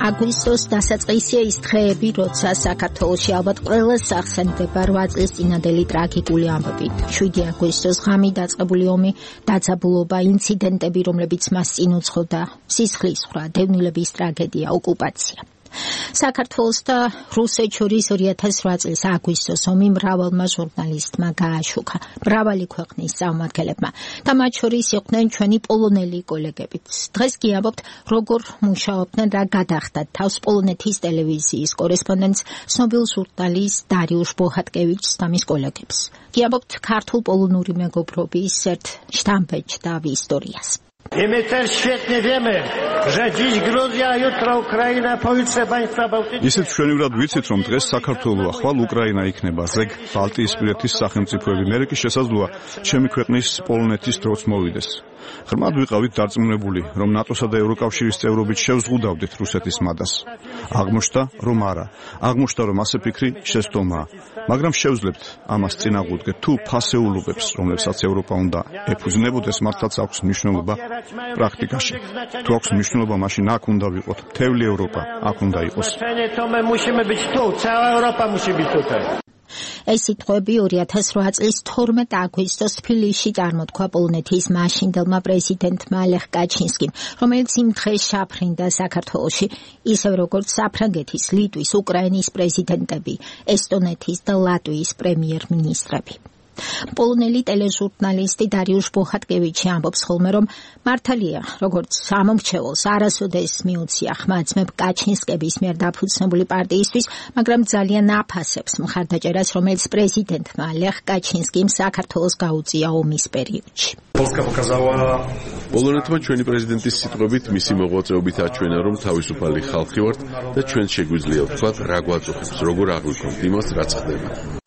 აგვისტოს დასაწყისია ის დღეები, როცა საქართველოში ალბათ ყველას ახსენდება 8 წლის წინანდელი ტრაგიკული ამბები. 7 აგვისტოს ღამით დაწყებული ომი, დაძაბულობა, ინციდენტები, რომლებიც მას წინ უძღოდა, სისხლისღვრა, დევნილების ტრაგედია, ოკუპაცია. საქართველოს და რუსეთს შორის 2008 წლის აგვისტოს ომი მრავალმა ჟურნალისტმა გააშუქა, მრავალი ქვეყნის წარმომადგენლებმა და მათ შორის იყვნენ ჩვენი პოლონელი კოლეგებიც. დღეს კი ამბობთ, როგორ მუშაობდნენ, რა გადახდათ თავს პოლონეთის ტელევიზიის კორესპონდენტს, ცნობილ ჟურნალისტ დარიუშ ბოჰატკევიჩს და მის კოლეგებს. კი ამბობთ ქართულ-პოლონური მეგობრობის ერთ შტამბეჭდავ ისტორიას. I my też świetnie wiemy, że dziś Gruzja, jutro Ukraina, pojutrze państwa bałtyckie. ისეთ ჩვენივრად ვიცით, რომ დღეს საქართველო, ახვალ უკრაინა იქნება, ზეგ ბალტიისპირეთის სახელმწიფოები. მე კი შესაძლოა ჩემი ქვეყნის პოლონეთის დროც მოვიდეს. ღრმად ვიყავით დარწმუნებული, რომ ნატოსა და ევროკავშირის წევრობით შევზღუდავდით რუსეთის მადას. აღმოჩნდა, რომ არა. აღმოჩნდა, რომ ასე ფიქრი შესტომაა. მაგრამ შევძლებთ ამას წინაღუდგეთ თუ ფასეულობებს, რომლებსაც ევროპა უნდა ეფუძნებოდეს, მართლაც აქვს მნიშვნელობა პრაქტიკაში. თუ აქვს მნიშვნელობა, მაშინ აქ უნდა ვიყოთ. მთელი ევროპა აქ უნდა იყოს. ეს სიტყვები 2008 წლის 12 აგვისტოს თბილისში წარმოთქვა პოლონეთის მაშინდელმა პრეზიდენტმა ლეხ კაჩინსკიმ, რომელიც იმ დღეს შაფრინდა საქართველოში, ისევ როგორც საფრანგეთის, ლიტვის, უკრაინის პრეზიდენტები, ესტონეთის და ლატვიის პრემიერ-მინისტრები. პოლონელი ტელეჟურნალისტი დარიუშ ბოჰატკევიჩი ამბობს ხოლმე, რომ მართალია, როგორც ამომრჩეველს არასოდეს მიუცია ხმა ძმებ კაჩინსკების მიერ დაფუძნებული პარტიისთვის, მაგრამ ძალიან აფასებს მხარდაჭერას, რომელიც პრეზიდენტმა ლეხ კაჩინსკიმ საქართველოს გაუწია ომის პერიოდში. პოლონეთმა ჩვენი პრეზიდენტის სიტყვებით მისი მოღვაწეობით აჩვენა, რომ თავისუფალი ხალხი ვართ და ჩვენ შეგვიძლია ვთქვათ, რა გვაწუხებს, როგორ აღვიქვამთ იმას, რაც ხდება.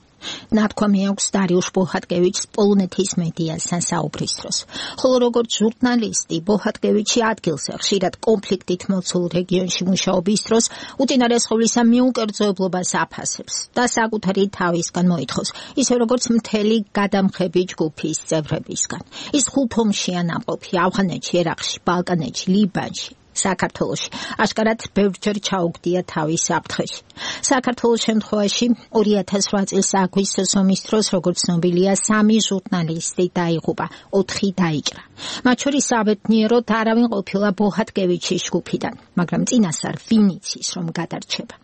ნათქვამი აქვს დარიუშ ბოჰატკევიჩს პოლონეთის მედიასთან საუბრის დროს. ხოლო როგორც ჟურნალისტი, ბოჰატკევიჩი ადგილზე ხშირად კონფლიქტით მოცულ რეგიონში მუშაობის დროს უწინარეს ყოვლისა მიუკერძოებლობას აფასებს და საკუთარი თავისგან მოითხოვს, ისე როგორც მთელი გადამხები ჯგუფის წევრებისგან. ის 5 ომშია ნაყოფი ავღანეთში, ერაყში, ბალკანეთში, ლიბანში. საქართველოში აშკარად ბევრჯერ ჩაუგდია თავის საფრთხეში. საქართველოს შემთხვევაში 2008 წლის აგვისტოს ომის დროს, როგორც ცნობილია, 3 ჟურნალისტი დაიღუპა, 4 დაიჭრა. მათ შორის საბედნიეროდ არავინ ყოფილა ბოჰატკევიჩის ჯგუფიდან, მაგრამ წინასწარ ვინ იცის, რომ გადარჩება.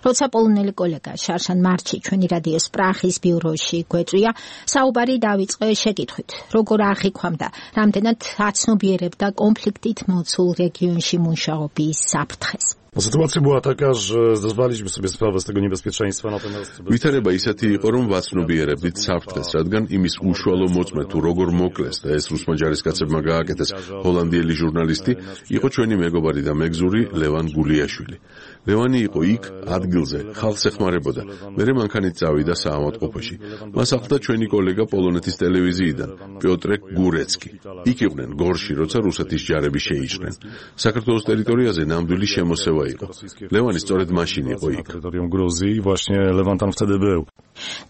როცა პოლონელი კოლეგა შარშან მარჩი ჩვენი რადიოს პრახის ბიუროში გვეწვია, საუბარი დავიწყე შეკითხვით, როგორ აღიქვამდა, რამდენად აცნობიერებდა კონფლიქტით მოცულ რეგიონში მუშაობის საფრთხეს. Sytuacja była taka, że zdawaliśmy sobie sprawę z tego niebezpieczeństwa, natomiast ვითარება ისეთი იყო, რომ ვაცნობიერებდით საფრთხეს, რადგან იმის უშუალო მოწმე თუ როგორ მოკლეს და ეს რუსმა ჯარისკაცებმა გააკეთეს ჰოლანდიელი ჟურნალისტი, იყო ჩვენი მეგობარი და მეგზური ლევან გულიაშვილი. ლევანი იყო იქ, ადგილზე, ხალხს ეხმარებოდა. მერე მანქანით წავიდა საავადმყოფოში. მას ახლდა ჩვენი კოლეგა პოლონეთის ტელევიზიიდან, პიოტრე გურეცკი. იქ იყვნენ გორში, როცა რუსეთის ჯარები შეიჭრნენ. საქართველოს ტერიტორიაზე ნამდვილი შემოსევა იყო. ლევანი სწორედ მაშინ იყო იქ. terytorium Gruzji i właśnie Lewan tam wtedy był.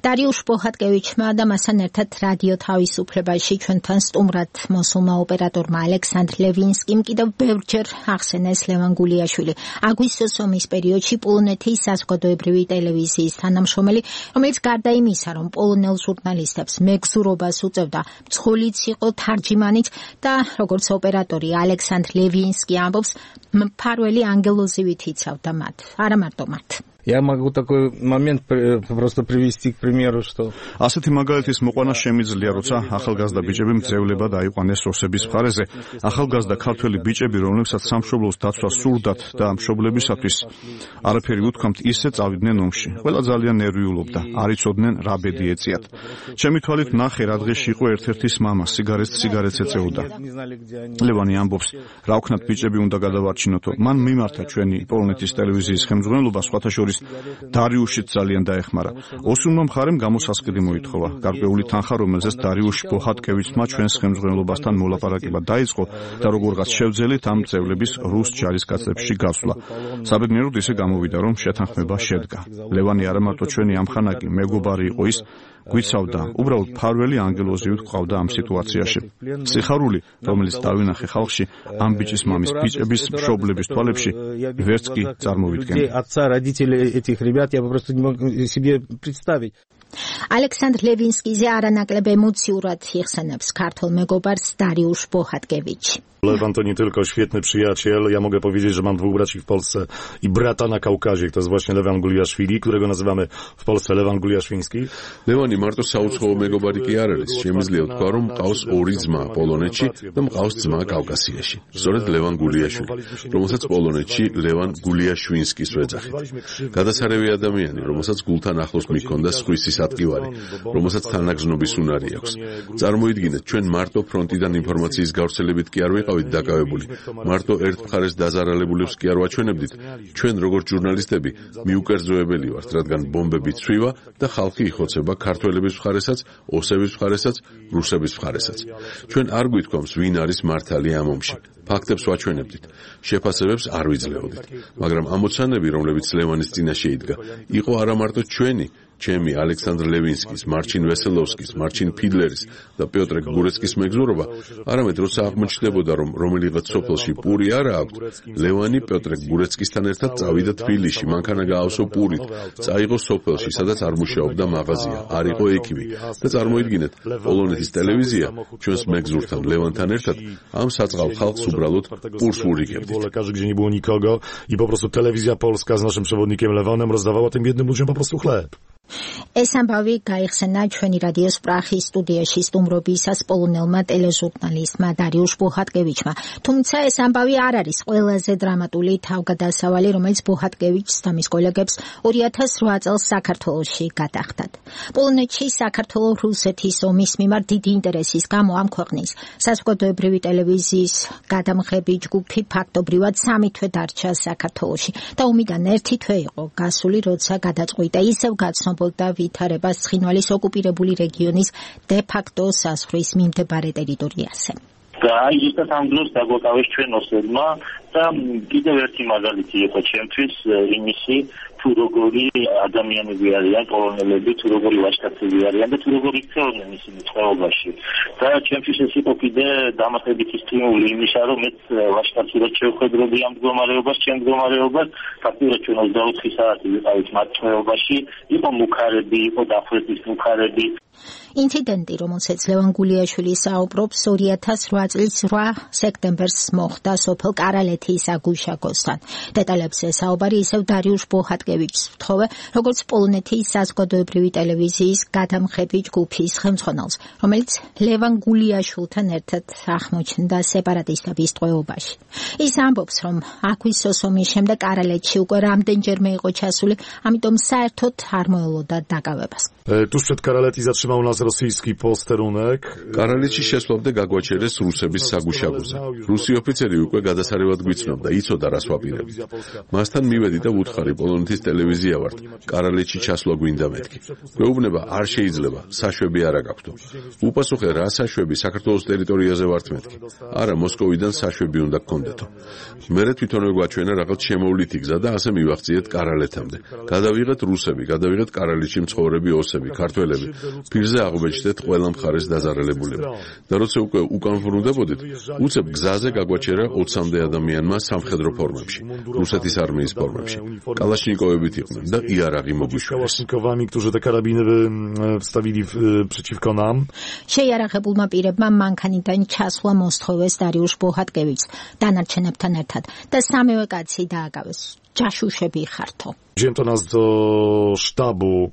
დარიუშ ბოჰატკევიჩმა და მასთან ერთად რადიო თავისუფლებაში ჩვენთან სტუმრად მოსულმა ოპერატორმა ალექსანდრ ლევინსკიმ კიდევ ბევრჯერ ახსენეს ლევან გულიაშვილი, აგვისტოს ომის პერიოდში პოლონეთის საზოგადოებრივი ტელევიზიის თანამშრომელი, რომელიც გარდა იმისა, რომ პოლონელ ჟურნალისტებს მეგზურობას უწევდა, მძღოლიც იყო, თარჯიმანიც და როგორც ოპერატორი ალექსანდრ ლევინსკი ამბობს, მფარველი ანგელოზივით იცავდა მათ, არა მარტო მათ. Я могу такой момент просто привести к примеру, что ასეთი მაგალითის მოყვანა შემიძლია, როცა ახალგაზრდა ბიჭები მძევლებად აიყვანეს რუსების მხარეზე, ახალგაზრდა ქართველი ბიჭები, რომლებსაც სამშობლოს დაცვა სურდათ და მშობლებისათვის არაფერი უთქვამთ, ისე წავიდნენ ომში. ყველა ძალიან ნერვიულობდა, არ იცოდნენ რა ბედი ეწიათ. ჩემი თვალით ნახე, რა დღეში იყო ერთ-ერთის მამა, სიგარეტს ეწეოდა. ლევანი ამბობს, რა ვქნათ ბიჭები უნდა გადავარჩინოთო. მან მიმართა ჩვენი პოლონეთის ტელევიზიის ხელმძღვანელობა, სხვათა შორის შორის დარიუშიც ძალიან დაეხმარა. ოსურმა მხარემ გამოსასყიდი მოითხოვა. გარკვეული თანხა, რომელზეც დარიუშ ბოჰატკევიჩმა ჩვენს ხელმძღვანელობასთან მოლაპარაკება დაიწყო და როგორღაც შევძელით ამ წევლების რუს ჯარისკაცებში გასვლა. საბედნიეროდ ისე გამოვიდა, რომ შეთანხმება შედგა. ლევანი არა მარტო ჩვენი ამხანაკი მეგობარი იყო, ის გვიცავდა, უბრალოდ ფარველი ანგელოზივით გვყავდა ამ სიტუაციაში. სიხარული, რომელიც დავინახე ხალხში, ამ ბიჭის მამის ბიჭების მშობლების თვალებში ვერც კი წარმოვიდგენდი. Отца, родителей этих ребят я просто не могу себе представить. ალექსანდრ ლევინსკიზე არანაკლებ ემოციურად იხსენებს ქართულ მეგობარს დარიუშ ბოჰატკევიჩი. Lewan to nie tylko świetny przyjaciel. Ja mogę powiedzieć, że mam dwóch braci w Polsce i brata na Kaukazie. To jest właśnie Lewan Guliaszwili, którego nazywamy w Polsce Lewan Guliaszwiński. ლევანი მარტო საუცხოო მეგობარი კი არ არის. შემიძლია თქვა, რომ მყავს ორი ძმა პოლონეთში და მყავს ძმა კავკასიაში. სწორედ ლევან გულიაშვილი, რომელსაც პოლონეთში ლევან გულიაშვინსკის ვეძახით. გადასარევი ადამიანი, რომელსაც გულთან ახლოს მიქონდა სხვისის ატკივარი, რომელსაც თანაგზნობის უნარი აქვს. წარმოიდგინეთ, ჩვენ მარტო ფრონტიდან ინფორმაციის გავრცელებით კი არ ვიყავით დაკავებული. მარტო ერთ მხარეს დაზარალებულებს კი არ ვაჩვენებდით. ჩვენ როგორც ჟურნალისტები მიუკერძოებელი ვართ, რადგან ბომბები ცვივა და ხალხი იხოცება ქართველების მხარესაც, ოსების მხარესაც, რუსების მხარესაც. ჩვენ არ გვითქვამს, ვინ არის მართალი ამ ომში. ფაქტებს ვაჩვენებდით. შეფასებებს არ ვიძლეოდით. მაგრამ ამოცანები, რომლებიც ლევანის წინაშე იდგა, იყო არა მარტო ჩვენი, ჩემი ალექსანდრ ლევინსკის, მარჩინ ვესელოვსკის, მარჩინ ფიდლერის და პიოტრ გურეცკის მეგზურობა, არამედ როცა აღმოჩნდებოდა, რომ რომელიღაც სოფელში პური არა აქვს, ლევანი პიოტრ გურეცკისთან ერთად წავიდა თბილისში, მანქანა გაავსო პურით, წაიღო სოფელში, სადაც არ მუშაობდა მაღაზია, არ იყო ექიმი და წარმოიდგინეთ, პოლონეთის ტელევიზია ჩვენს მეგზურთან ლევანთან ერთად ამ საწყალ ხალხს უბრალოდ პურს ვურიგებდით. Lekarzy, gdzie nie było nikogo i po prostu telewizja polska z naszym przewodnikiem Lewanem rozdawała tym biednym ludziom po prostu chleb. ეს ამბავი გაიხსენა ჩვენი რადიოს პრახის სტუდიაში სტუმრობისას პოლონელმა ტელეჟურნალისტმა დარიუშ ბოჰატკევიჩმა. თუმცა ეს ამბავი არ არის ყველაზე დრამატული თავგადასავალი, რომელიც ბოჰატკევიჩს და მის კოლეგებს 2008 წელს საქართველოში გადახდათ. პოლონეთში საქართველო-რუსეთის ომის მიმართ დიდი ინტერესის გამო ამ ქვეყნის საზოგადოებრივი ტელევიზიის გადამღები ჯგუფი ფაქტობრივად 3 თვე დარჩა საქართველოში და ომიდან 1 თვე იყო გასული, როცა გადაწყვიტა ისევ გაცნობ და ვითარებას ცხინვალის ოკუპირებული რეგიონის დე-ფაქტო საზღვრის მიმდებარე ტერიტორიაზე. და ისტათ ამ დროს დაგვაკავეს ჩვენ ოსებმა და კიდევ ერთი მაგალითი იყო ჩემთვის იმისი, თუ როგორი ადამიანები არიან პოლონელები, თუ როგორი ვაჟკაცები არიან და თუ როგორი იქცეოდნენ ისინი წყობაში. და ჩემთვის ეს იყო კიდე დამატებითი სტიმული იმისა, რომ მეც ვაჟკაცურად შევხედროდი ამ მდგომარეობას, ჩემ მდგომარეობას, ფაქტობრივად ჩვენ 24 საათი ვიყავით მათ წყობაში, იყო მუქარები, იყო დახვრეტის მუქარები. ინციდენტი, რომელსაც ლევან გულიაშვილი საუბრობს, 2008 წლის 8 სექტემბერს მოხდა სოფელ კარალეთის აგუშაკოსთან. დეტალებზე საუბარი ისევ დარიუშ ბოჰატკევიჩს ვთხოვე, როგორც პოლონეთის საზოგადოებრივი ტელევიზიის გადამღები ჯგუფის ხელმძღვანელს, რომელიც ლევან გულიაშვილთან ერთად აღმოჩნდა სეპარატისტების ტყვეობაში. ის ამბობს, რომ აგვისტოს ომის შემდეგ კარალეთში უკვე რამდენჯერმე იყო časული, ამიტომ საერთოდ არ მოელოდა დაკავებას. Tuż przed Karaleti zatrzymał nas rosyjski posterunek. კარალეთში შესვლამდე გაგვაჩერეს რუსების საგუშაგოზე. რუსი ოფიცერი უკვე გადასარევად გვიცნობდა, იცოდა რას ვაპირებთ. მასთან მივედი და ვუთხარი, პოლონეთის ტელევიზია ვართ. კარალეთში ჩასვლა გვინდა მეთქი. გვეუბნება, არ შეიძლება, საშვები არ აქვს. უპასუხე, რა საშვები საქართველოს ტერიტორიაზე ვართ მეთქი. არა, მოსკოვიდან საშვები უნდა გქონდეთო. მერე თვითონვე გვაჩვენა რაღაც შემოვლითი გზა და ასე მივახციეთ კარალეთამდე. გადავიღეთ რუსები, გადავიღეთ კარალეთში მცხოვრები ოსები, ქართველები. პირზე აღვეჯდეთ ყველა მხარეს დაზარალებულები. და როცა უკვე უკან ვრუნდებოდით, უცებ გზაზე გაგვაჩერა 20-მდე ადამიანმა სამხედრო ფორმებში, რუსეთის არმიის ფორმებში. კალაშნიკოვებით იყვნენ და იარაღი მოგვიშვეს. którzy te karabiny wstawili przeciwko nam. შეიარაღებულმა პირებმა მანქანიდან ჩასვლა მოსთხოვეს დარიუშ ბოჰატკევიჩს დანარჩენებთან ერთად და სამივე კაცი დააკავეს. ჯაშუშები ხართო. Wzięto nas do sztabu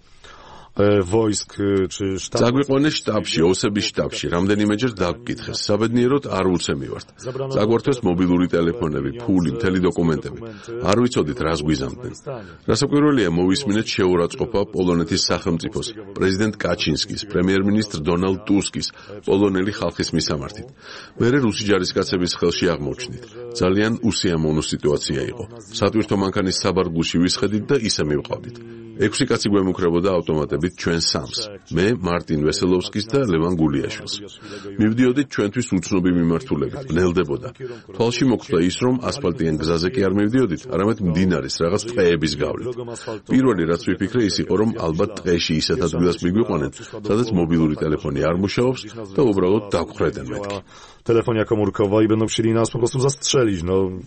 wojsk czy sztab. Zaგვიყვანეს შტაბში, ოსების შტაბში, რამდენიმეჯერ დაგვკითხეს. საბედნიეროდ არ უცემივართ. Წაგვართვეს მობილური ტელეფონები, ფული, მთელი დოკუმენტები. არ ვიცოდით რას გვიზამდნენ. რასაკვირველია, მოვისმინეთ შეურაცხყოფა პოლონეთის სახელმწიფოს, პრეზიდენტ კაჩინსკის, პრემიერ-მინისტრ დონალდ ტუსკის, პოლონელი ხალხის მისამართით. მერე რუსი ჯარისკაცების ხელში აღმოჩნდით. ძალიან უსიამოვნო სიტუაცია იყო. სატვირთო მანქანის საბარგულში ვისხედით და ისე მივყავდით. 6 კაცი გვემუქრებოდა ავტომატებით ჩვენ სამს. მე, მარტინ ვესელოვსკის და ლევან გულიაშვილს. მივდიოდით ჩვენთვის უცნობი მიმართულებით, ვნელდებოდა. თვალში მოხვდა ის, რომ ასფალტიან გზაზე კი არ მივდიოდით, არამედ მდინარის რაღაც ტყეების გავლით. პირველი რაც ვიფიქრე ის იყო, რომ ალბათ ტყეში ისეთ ადგილას მიგვიყვანენ, სადაც მობილური ტელეფონი არ მუშაობს და უბრალოდ დაგვრედენ მეთქი. Telefonia komórkowa i będą chcieli nas po prostu zastrzelić, no.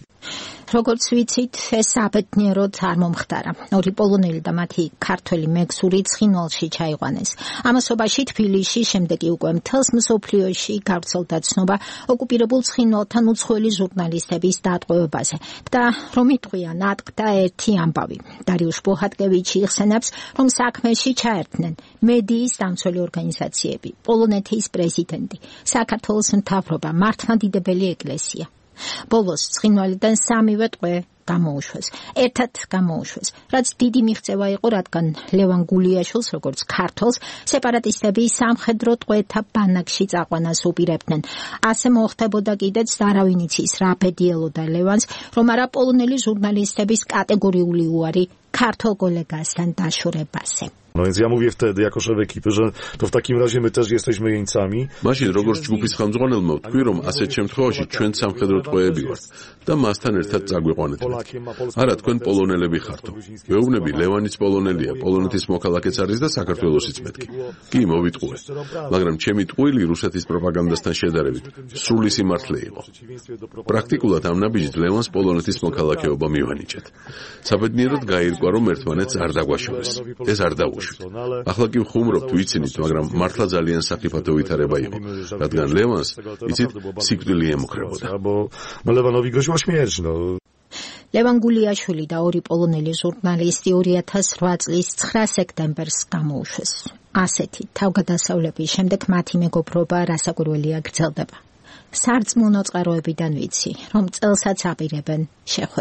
როგორც ვიცით, ეს აბედნიეროდ არ მომხდარა. ორი პოლონელი და მათი ქართველი მეგზური ცხინვალში ჩაიყვანეს. ამასობაში თბილისში, შემდეგ კი უკვე მთელს მსოფლიოში გავრცელდა ცნობა ოკუპირებულ ცხინვალთან უცხოელი ჟურნალისტების დატყვევებაზე. და რომ იტყვიან, ატყდა ერთი ამბავი. დარიუშ ბოჰატკევიჩი იხსენებს, რომ საქმეში ჩაერთნენ მედიის დამცველი ორგანიზაციები, პოლონეთის პრეზიდენტი, საქართველოს მთავრობა, მართლმადიდებელი ეკლესია. ბოლოს ცხინვალიდან სამივე ტყვე გამოუშვეს. ერთად გამოუშვეს, რაც დიდი მიღწევა იყო, რადგან ლევან გულიაშვილს, როგორც ქართველს, სეპარატისტები სამხედრო ტყვეთა ბანაკში წაყვანას უპირებდნენ. ასე მოხდებოდა კიდეც და არავინ იცის რა ბედიელოდა ლევანს, რომ არა პოლონელი ჟურნალისტების კატეგორიული უარი ქართულ კოლეგასთან დაშორებაზე. No więc ja mówię wtedy jako szef ekipy, że to w takim razie my też jesteśmy jeńcami. მაშინ როგორც ჯგუფის ხელმძღვანელმა ვთქვი, რომ ასეთ შემთხვევაში ჩვენ სამხედრო ტყვეები ვართ და მასთან ერთად წაგვიყვანეთ. არა, თქვენ პოლონელები ხართო. ვეუბნები, ლევანიც პოლონელია, პოლონეთის მოქალაქეც არის და საქართველოსიც მეთქი. კი, მოვიტყუე. მაგრამ ჩემი ტყუილი რუსეთის პროპაგანდასთან შედარებით სრული სიმართლე იყო. პრაქტიკულად ამ ნაბიჯით ლევანს პოლონეთის მოქალაქეობა მივანიჭეთ. საბედნიეროდ გაირკვა, რომ ერთმანეთს არ დაგვაშორეს. ეს არ დაუშვით. ახლა კი ვხუმრობთ, ვიცინით, მაგრამ მართლა ძალიან საფრთხე ვითარება იყო, რადგან ლევანს, იცით, სიკვდილი ემუქრებოდა. ლევანოვი გროშვა śmierć, no. ლევან გულიაშვილი და ორი პოლონელი ჟურნალისტი 2008 წლის 9 სექტემბერს გამოუშვეს. ასეთი თავგადასავლების შემდეგ მათი მეგობრობა რასაკვირველია გრძელდება. სარწმუნო წყაროებიდან ვიცი, რომ წელსაც აპირებენ შეხვედრას.